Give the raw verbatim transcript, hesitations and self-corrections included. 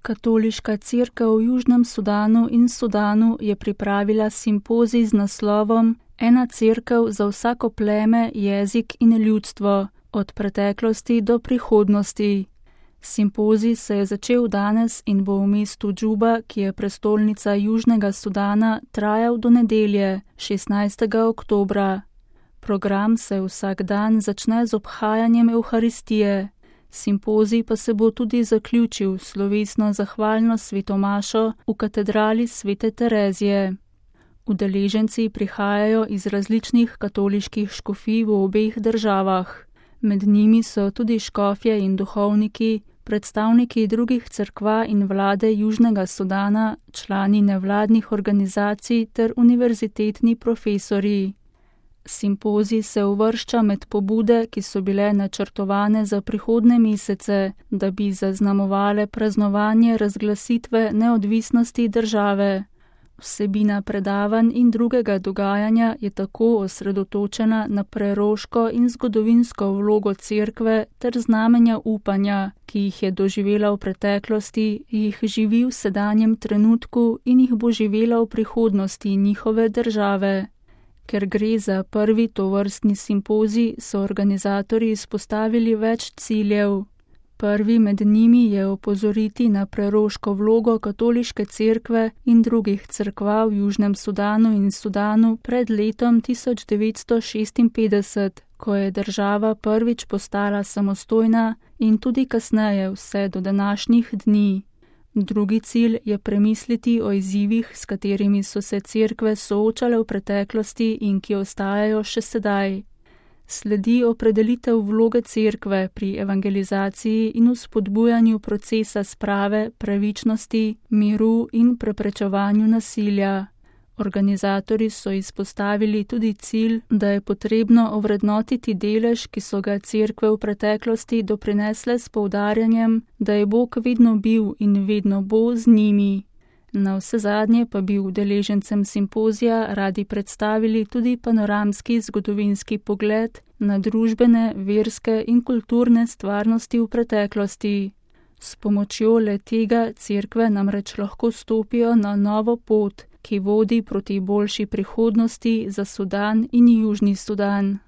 Katoliška cerkev v Južnem Sudanu in Sudanu je pripravila simpozij z naslovom Ena cerkev za vsako pleme, jezik in ljudstvo, od preteklosti do prihodnosti. Simpozij se je začel danes in bo v mestu Džuba, ki je prestolnica Južnega Sudana, trajal do nedelje, šestnajstega oktobra. Program se vsak dan začne z obhajanjem Evharistije. Simpozij pa se bo tudi zaključil slovesno zahvalno svetomašo v katedrali Svete Terezije. Udeleženci prihajajo iz različnih katoliških škofij v obeh državah. Med njimi so tudi škofje in duhovniki, predstavniki drugih cerkva in vlade Južnega Sudana, člani nevladnih organizacij ter univerzitetni profesorji. Simpozij se uvršča med pobude, ki so bile načrtovane za prihodnje mesece, da bi zaznamovale praznovanje razglasitve neodvisnosti države. Vsebina predavanj in drugega dogajanja je tako osredotočena na preroško in zgodovinsko vlogo cerkve ter znamenja upanja, ki jih je doživela v preteklosti, jih živi v sedanjem trenutku in jih bo živela v prihodnosti njihove države. Ker gre za prvi tovrstni simpozij, so organizatorji izpostavili več ciljev. Prvi med njimi je opozoriti na preroško vlogo katoliške cerkve in drugih cerkva v Južnem Sudanu in Sudanu pred letom tisoč devetsto šestinpetdeset, ko je država prvič postala samostojna, in tudi kasneje vse do današnjih dni. Drugi cilj je premisliti o izzivih, s katerimi so se cerkve soočale v preteklosti in ki ostajajo še sedaj. Sledi opredelitev vloge cerkve pri evangelizaciji in vzpodbujanju procesa sprave, pravičnosti, miru in preprečevanju nasilja. Organizatorji so izpostavili tudi cilj, da je potrebno ovrednotiti delež, ki so ga cerkve v preteklosti doprinesle s poudarjanjem, da je Bog vedno bil in vedno bo z njimi. Navsezadnje pa bi udeležencem simpozija radi predstavili tudi panoramski zgodovinski pogled na družbene, verske in kulturne stvarnosti v preteklosti. S pomočjo le tega cerkve namreč lahko stopijo na novo pot, ki vodi proti boljši prihodnosti za Sudan in Južni Sudan.